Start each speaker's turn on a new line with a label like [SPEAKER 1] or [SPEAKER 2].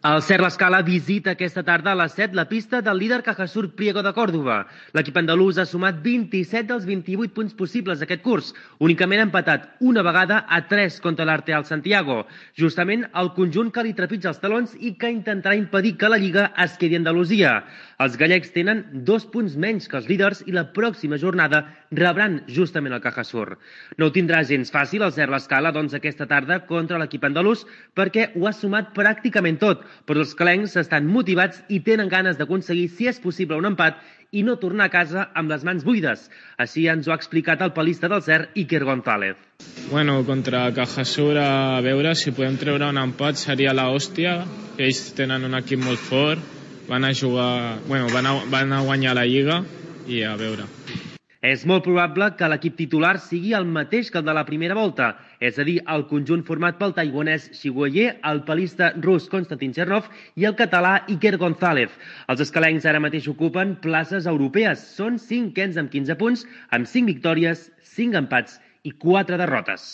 [SPEAKER 1] El Ser L'Escala visita aquesta tarda a les 7 la pista del líder Cajasur Priego de Còrdova. L'equip andalús ha sumat 27 dels 28 punts possibles aquest curs, únicament ha empatat una vegada a 3 contra l'Arteal Santiago, justament el conjunt que li trepitja els talons i que intentarà impedir que la Lliga es quedi a Andalusia. Els gallecs tenen 2 punts menys que els líders i la pròxima jornada rebran justament el Cajasur. No ho tindrà gens fàcil el Ser L'Escala, doncs, aquesta tarda contra l'equip andalús, perquè ho ha sumat pràcticament tot, però els calencs estan motivats i tenen ganes d'aconseguir, si és possible, un empat i no tornar a casa amb les mans buides. Així ens ho ha explicat el palista del Ser, Iker González.
[SPEAKER 2] Bueno, contra Cajasur, a veure si podem treure un empat seria la hòstia. Ells tenen un equip molt fort, van a jugar, bueno, van a guanyar la Lliga i a veure.
[SPEAKER 1] És molt probable que l'equip titular sigui el mateix que el de la primera volta, és a dir, el conjunt format pel taiwanès Xiguoyer, el palista rus Konstantin Chernov i el català Iker González. Els escalencs ara mateix ocupen places europees. Són 5ens amb 15 punts, amb 5 victòries, 5 empats i 4 derrotes.